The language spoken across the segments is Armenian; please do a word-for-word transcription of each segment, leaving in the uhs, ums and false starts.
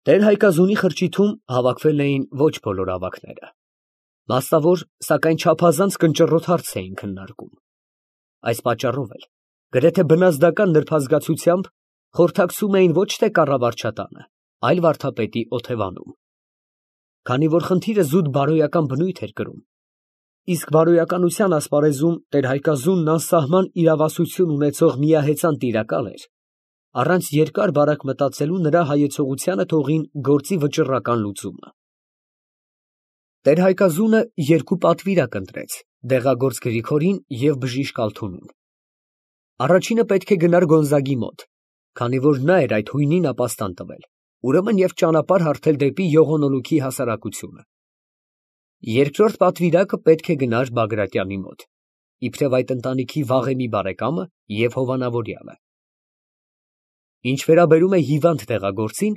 Տեր֊Հայկազունի խրճիթում հավաքվել էին ոչ բոլոր ավագները. մասնավոր, սակայն չափազանց կնճռոտ հարց էին քննարկում. այս պատճառով էլ գրեթե բնազդական նրբազգացությամբ խորհրդակցում էին ոչ թե կառավարչատանը, այլ վարդապետի օթևանում, քանի որ խնդիրը զուտ բարոյական բնույթ էր կրում, իսկ բարոյականության ասպարեզում Տեր֊Հայկազունն անսահման իրավասություն ունեցող միահեծան տիրակալ էր, առանց երկար֊բարակ մտածելու նրա հայեցողությանը թողին գործի վճռական լուծումը։ Տեր֊Հայկազունը երկու պատվիրակ ընտրեց՝ դեղագործ Գրիգորին և բժիշկ Ալթունին։ Առաջինը պետք է գնար Գոնզագի մոտ, քանի որ նա էր այդ հույնին ապաստան տվել, ուրեմն և ճանապարհ հարթել դեպի Յողոնոլուքի հասարակությունը։ Երկրորդ պատվիրակը պետք է գնար Բագրատյանի մոտ, իբրև այդ ընտանիքի վաղեմի բարեկամը և հովանավորյալը։ Ինչ վերաբերում է հիվանդ դեղագործին,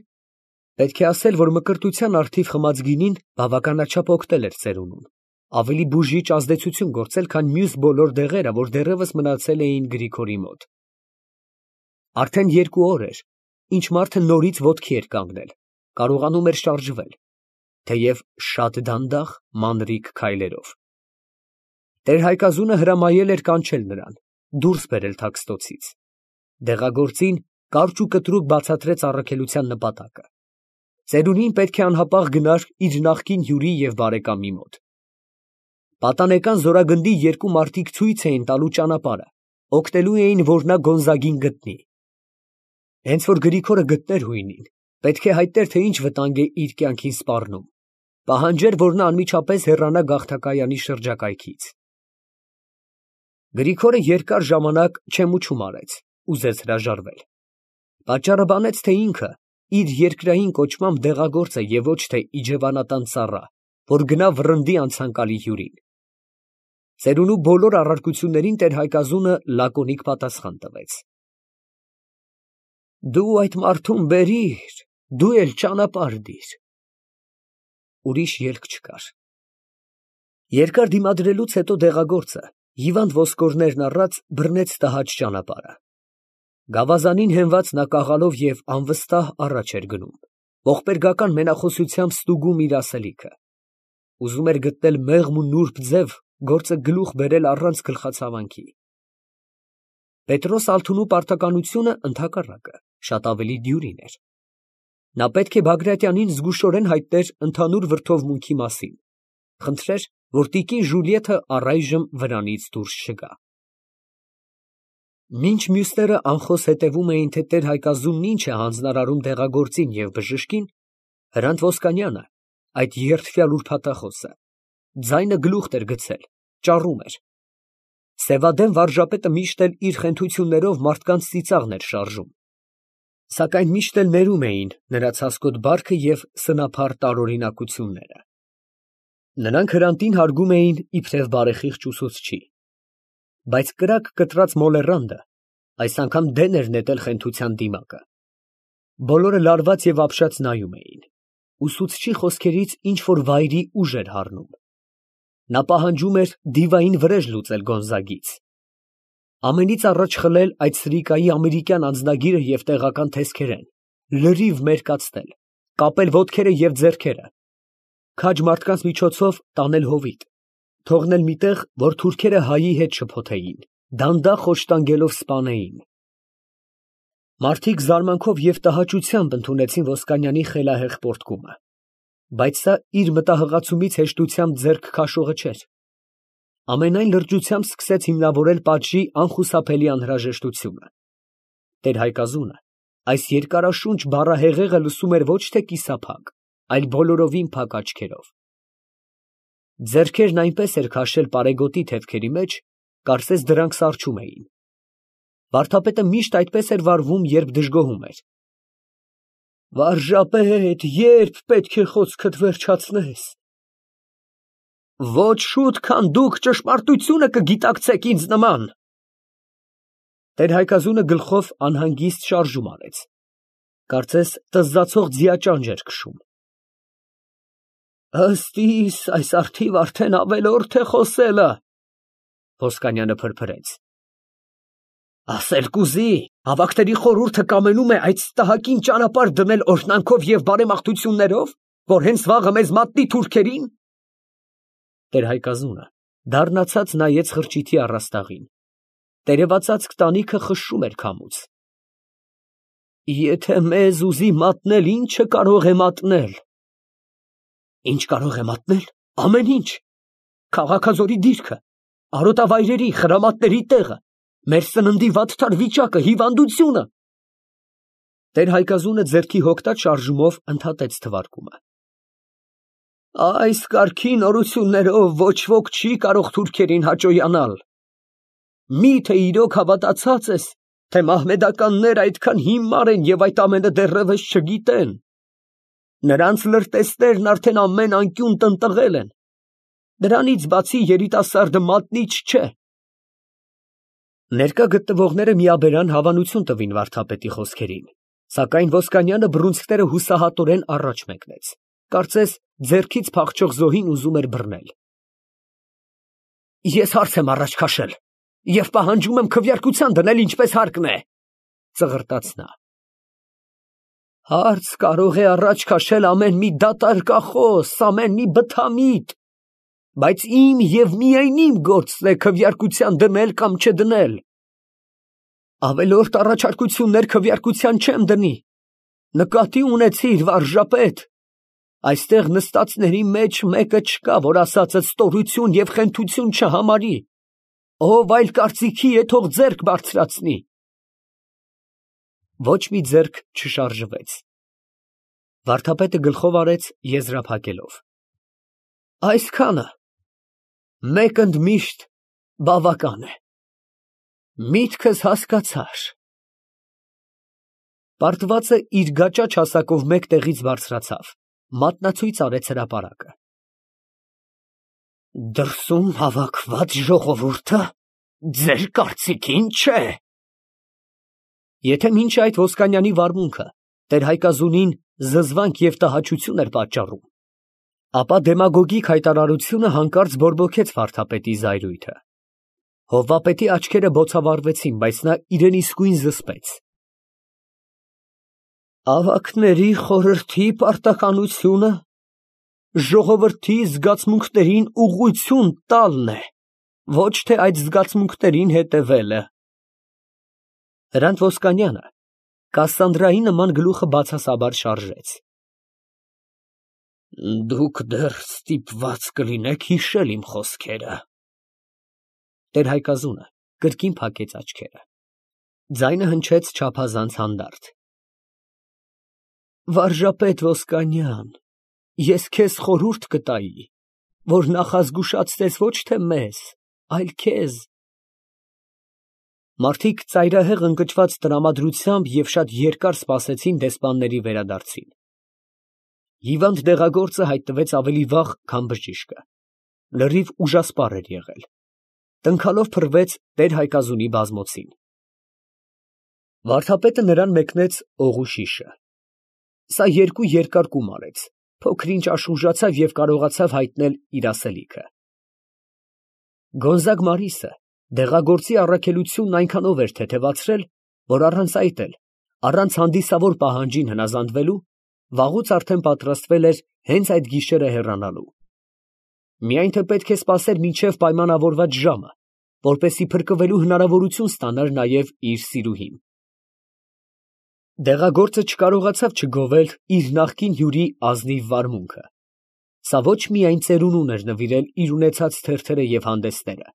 պետք է ասել, որ մկրտության առթիվ խմած գինին բավականաչափ օգնել էր ծերունուն, ավելի բուժիչ ազդեցություն գործել, քան մյուս բոլոր դեղերը, որ դեռևս մնացել էին Գրիգորի մոտ։ Արդեն երկու օր էր, ինչ մարդը նորից ոտքի էր կանգնել, կարողանում էր շարժվել, թեև շատ դանդաղ, մանրիկ քայլերով։ Տեր֊Հայկազունը հրամայել էր կանչել նրան, դուրս բերել թաքստոցից։ Դեղագործին կարճ ու կտրուկ բացատրեց առաքելության նպատակը։ Ծերունին պետք է անհապաղ գնար իր նախկին հյուրի և բարեկամի մոտ։ Պատանեկան Զորագնդի երկու մարդիկ ցույց էին տալու ճանապարհը, օգնելու էին, որ նա Գոնզագին գտնի։ Հենց որ Գրիգորը գտներ հույնին, պետք է հայտներ, թե ինչ վտանգ է իր կյանքին սպառնում, պահանջեր, որ նա անմիջապես հեռանա գաղթակայանի շրջակայքից։ Գրիգորը երկար ժամանակ չեմուչում արեց, ուզեց հրաժարվել։ Պատճառը բանեց, թե ինքը իր երկրային կոչմամբ դեղագործ է և ոչ թե իջևանատան ծառա, որ գնա վռնդի անցանկալի հյուրին։ Ծերունու բոլոր առարկություններին Տեր֊Հայկազունը լակոնիկ պատասխան տվեց. «Դու այդ մարդուն բերիր, դու էլ ճանապարհ դիր»։ Ուրիշ ելք չկար։ Երկար դիմադրելուց հետո դեղագործը, հիվանդ ոսկորներն առած, բռնեց տհաճ ճանապարհը։ Գավազանին հենված նա կաղալով և անվստահ առաջ էր գնում, ողբերգական մենախոսությամբ ստուգում իր ասելիքը։ Ուզում էր գտնել մեղմ ու նուրբ ձև, գործը գլուխ բերել առանց գլխացավանքի։ Պետրոս Ալթունու պարտականությունը, ընդհակառակը, շատ ավելի դյուրին էր։ Նա պետք է Բագրատյանին զգուշորեն հայտներ ընդհանուր վրդովմունքի մասին, խնդրեր, որ տիկին Ժուլիեթը առայժմ վրանից դուրս չգա։ Մինչ մյուսները անխոս հետևում էին, թե Տեր֊Հայկազունն ինչ է հանձնարարում դեղագործին և բժշկին, Հրանտ Ոսկանյանը, այդ երդվյալ ուրբաթախոսը, ձայնը գլուխ էր գցել, ճառում էր։ Սևադեն վարժապետը միշտ էլ իր խենթություններով մարդկանց ծիծաղն էր շարժում, սակայն միշտ էլ ներում էին նրա ցասկոտ բարքը և սնափառ տարօրինակությունները։ Նրանք Հրանտին հարգում էին իբրև բարեխիղճ ուսուցչի, բայց կրակ կտրած մոլեռանդը այս անգամ դեն էր նետել խենթության դիմակը։ Բոլորը լարված և ապշած նայում էին։ Ուսուցչի խոսքերից ինչ֊որ վայրի ուժ էր հառնում։ Նա պահանջում էր դիվային վրեժ լուծել Գոնզագից, ամենից առաջ խլել այդ սրիկայի ամերիկյան անձնագիրը և տեղական տեսքերեն, լրիվ մերկացնել, կապել ոտքերը և ձեռքերը, քաջ մարդկանց միջոցով տանել հովիտ, թողնել մի տեղ, որ թուրքերը հայի հետ շփոթեին, դանդաղ խոշտանգելով սպանեին։ Մարդիկ զարմանքով և տհաճությամբ ընդունեցին Ոսկանյանի խելահեղ պոռթկումը, բայց սա իր մտահղացումից հեշտությամբ ձեռք քաշողը չէր։ Ամենայն լրջությամբ սկսեց հիմնավորել պատժի անխուսափելի անհրաժեշտությունը։ Տեր֊Հայկազունը այս երկարաշունչ բառահեղեղը լսում էր ոչ թե կիսափակ, այլ բոլորովին փակ աչքերով։ Ձեռքերն այնպես էր քաշել պարեգոտի թևքերի մեջ, կարծես դրանք սառչում էին։ Վարդապետը միշտ այդպես էր վարվում, երբ դժգոհում էր։ Վարժապետ, ե՞րբ պետք է խոսքդ վերջացնես։ Ոչ շուտ, քան դուք ճշմարտությունը կգիտակցեք ինձ նման։ Տեր֊Հայկազունը գլխով անհանգիստ շարժում արեց, կարծես տզձացող ձիաճանճ էր քշում։ Ըստ իս, այս առթիվ արդեն ավելորդ է խոսելը, Ոսկանյանը փրփրեց։ Ասել կուզի, հավաքների խորհուրդը կամենում է այդ ստահակին ճանապարհ դնել օրհնանքով և բարեմաղթություններով, որ հենց վաղը մեզ մատնի թուրքերին։ Տեր֊Հայկազունը դառնացած նայեց խրճիթի առաստաղին. տերևածածկ տանիքը խշշում էր քամուց։ Եթե մեզ ուզի մատնել, ի՞նչը կարող է մատնել։ Ինչ կարող է մատնել, ամեն ինչ, Քաղաքաձորի դիրքը, արոտավայրերի, խրամատների տեղը, մեր սննդի վատթար վիճակը, հիվանդությունը։ Տեր֊Հայկազունը ձեռքի հոգտած շարժումով ընդհատեց թվարկումը։ Այս կարգի նորություններով ոչ ոք չի կարող թուրքերին հաճոյանալ։ Մի՞թե իրոք հավատացած ես, թե մահմեդականները այդքան հիմար են և այդ ամենը դեռևս չգիտեն։ Նրանց լրտեսներն արդեն ամեն անկյուն տնտղել են։ Դրանից բացի երիտասարդը մատնիչ չէ։ Ներկա գտնվողները միաբերան հավանություն տվին վարդապետի խոսքերին, սակայն Ոսկանյանը բռունցքները հուսահատորեն առաջ մեկնեց, կարծես ձեռքից փախչող զոհին ուզում էր բռնել։ Ես հարց եմ առաջ քաշել և պահանջում եմ քվեարկության դնել, ինչպես հարկն է, ծղրտաց նա։ Հարց կարող է առաջ քաշել ամեն մի դատարկախոս, ամեն մի բթամիտ, բայց իմ և միայն իմ գործն է քվեարկության դնել կամ չդնել։ Ավելորդ առաջարկություններ քվեարկության չեմ դնի։ Նկատի ունեցիր, վարժապետ, այստեղ նստածների մեջ մեկը չկա, որ ասածդ ստորություն և խենթություն չհամարի, ով այլ կարծիքի է, թող ձեռք բարձրացնի։ Ոչ մի ձեռք չշարժվեց։ Վարդապետը գլխով արեց եզրափակելով։ Այսքանը մեկ ընդմիշտ բավական է։ Միտքս հասկացար։ Պարտվածը իր գաճաճ հասակով մեկ տեղից բարձրացավ, մատնացույց արեց հրապարակը։ Դրսում հավաքված ժողովուրդը ձեր կարծիքին չէ։ Եթե մինչ այդ Ոսկանյանի վարմունքը տեր֊Հայկազունին զզվանք և տհաճություն էր պատճառում, ապա դեմագոգիկ հայտարարությունը հանկարծ բորբոքեց վարդապետի զայրույթը։ Հովվապետի աչքերը բոցավառվեցին, բայց նա իրեն իսկույն զսպեց։ Ավագների խորհրդի պարտականությունը ժողովրդի զգացմունքներին ուղղություն տալն է, ոչ թե այդ զգացմունքներին հետևելը։ Հրանտ Ոսկանյանը Կասսանդրայի նման գլուխը բացասաբար շարժեց։ Դուք դեռ ստիպված կլինեք հիշել իմ խոսքերը։ Տեր֊Հայկազունը կրկին փակեց աչքերը։ Ձայնը հնչեց չափազանց հանդարտ։ Վարժապետ Ոսկանյան, ես քեզ խորհուրդ կտայի, որ նախազգուշացնես ոչ թե մեզ, այլ քեզ։ Մարդիկ ծայրահեղ ընկճված տրամադրությամբ և շատ երկար սպասեցին դեսպանների վերադարձին։ Հիվանդ դեղագործը հայտնվեց ավելի վաղ, քան բժիշկը, լրիվ ուժասպառ էր եղել, տնքալով փռվեց տեր֊Հայկազունի բազմոցին։ Վարդապետը նրան մեկնեց օղու շիշը։ Սա երկու երկար կում արեց, փոքր-ինչ աշխուժացավ և կարողացավ հայտնել իր ասելիքը։ Գոնզագ Մարիսը դեղագործի առաքելությունն այնքանով էր թեթևացրել, որ առանց այդ էլ, առանց հանդիսավոր պահանջին հնազանդվելու, վաղուց արդեն պատրաստվել էր հենց այդ գիշերը հեռանալու։ Միայն թե պետք է սպասեր մինչև պայմանավորված ժամը, որպեսզի փրկվելու հնարավորություն ստանար նաև իր սիրուհին։ Դեղագործը չկարողացավ չգովել իր նախկին հյուրի ազնիվ վարմունքը։ Սա ոչ միայն ծերունուն էր նվիրել իր ունեցած թերթերը և հանդեսները,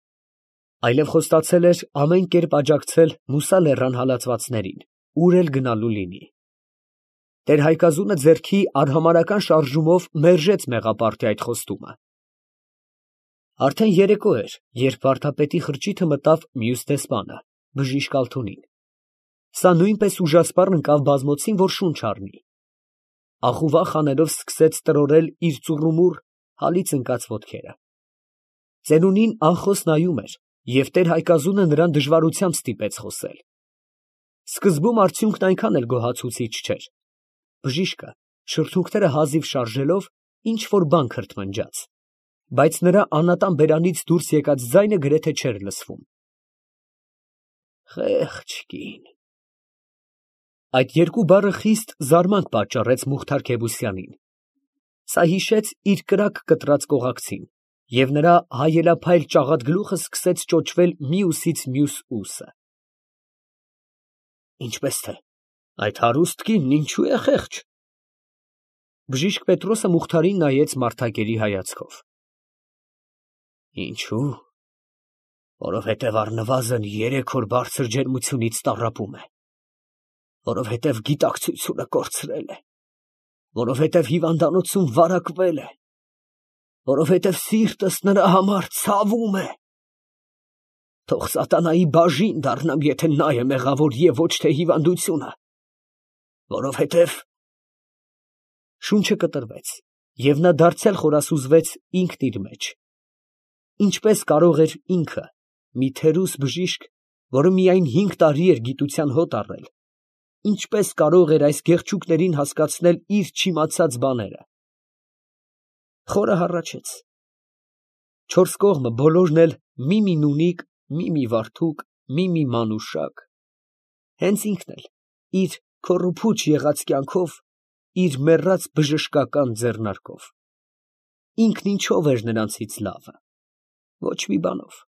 այլև խոստացել էր ամեն կերպ աջակցել Մուսա լեռան հալածվածներին, ուր էլ գնալու լինի։ Տեր֊Հայկազունը ձեռքի արհամարհական շարժումով մերժեց մեղապարտի այդ խոստումը։ Արդեն երեկո էր, երբ վարդապետի խրճիթը մտավ մյուս դեսպանը, բժիշկ Ալթունին։ Սա նույնպես ուժասպառ ընկավ բազմոցին, որ շունչ առնի։ Ախուվախ անելով սկսեց տրորել իր ծուռումուռ, հալից ընկած ոտքերը։ Ծերունին անխոս նայում էր, և տեր֊Հայկազունը նրան դժվարությամբ ստիպեց խոսել։ Սկզբում արդյունքն այնքան էլ գոհացուցիչ չէր։ Բժիշկը, շրթունքները հազիվ շարժելով, ինչ֊որ բան քրթմնջաց, բայց նրա անատան բերանից դուրս եկած ձայնը գրեթե չէր լսվում։ Խեղճ կին։ Այդ երկու բառը խիստ զարմանք պատճառեց Մուխթար Քևոսյանին. սա հիշեց իր կրակ կտրած կողակցին, և նրա հայելափայլ ճաղատ գլուխը սկսեց ճոճվել մի ուսից մյուս ուսը։ Ինչպես թե, այդ հարուստ կինն ինչո՞ւ է խեղճ։ Բժիշկ Պետրոսը Մուխթարին նայեց մարդակերի հայացքով։ Ինչո՞ւ, որովհետև առնվազն երեք օր բարձր ջերմությունից տառապում է, որովհետև գիտակցությունը կորցրել է, որովհետև հիվանդանոցում վարակվել է, որովհետև սիրտս նրա համար ցավում է։ Թող սատանայի բաժին դառնամ, եթե նա է մեղավոր և ոչ թե հիվանդությունը, որովհետև… Շունչը կտրվեց, և նա դարձյալ խորասուզվեց ինքն իր մեջ. ինչպես կարող էր ինքը, մի թերուս բժիշկ, որը միայն հինգ տարի էր գիտության հոտ առել, ինչպես կարող էր այս գեղչուկներին հասկացնել իր չիմացած բաները… Խորը հառաչեց. չորս կողմը բոլորն էլ մի֊մի նունիկ, մի֊մի վարդուկ, մի֊մի մանուշակ… հենց ինքն էլ իր քոռուփուչ եղած կյանքով, իր մեռած բժշկական ձեռնարկով… Ինքն ինչո՞վ էր նրանցից լավը… ոչ մի բանով։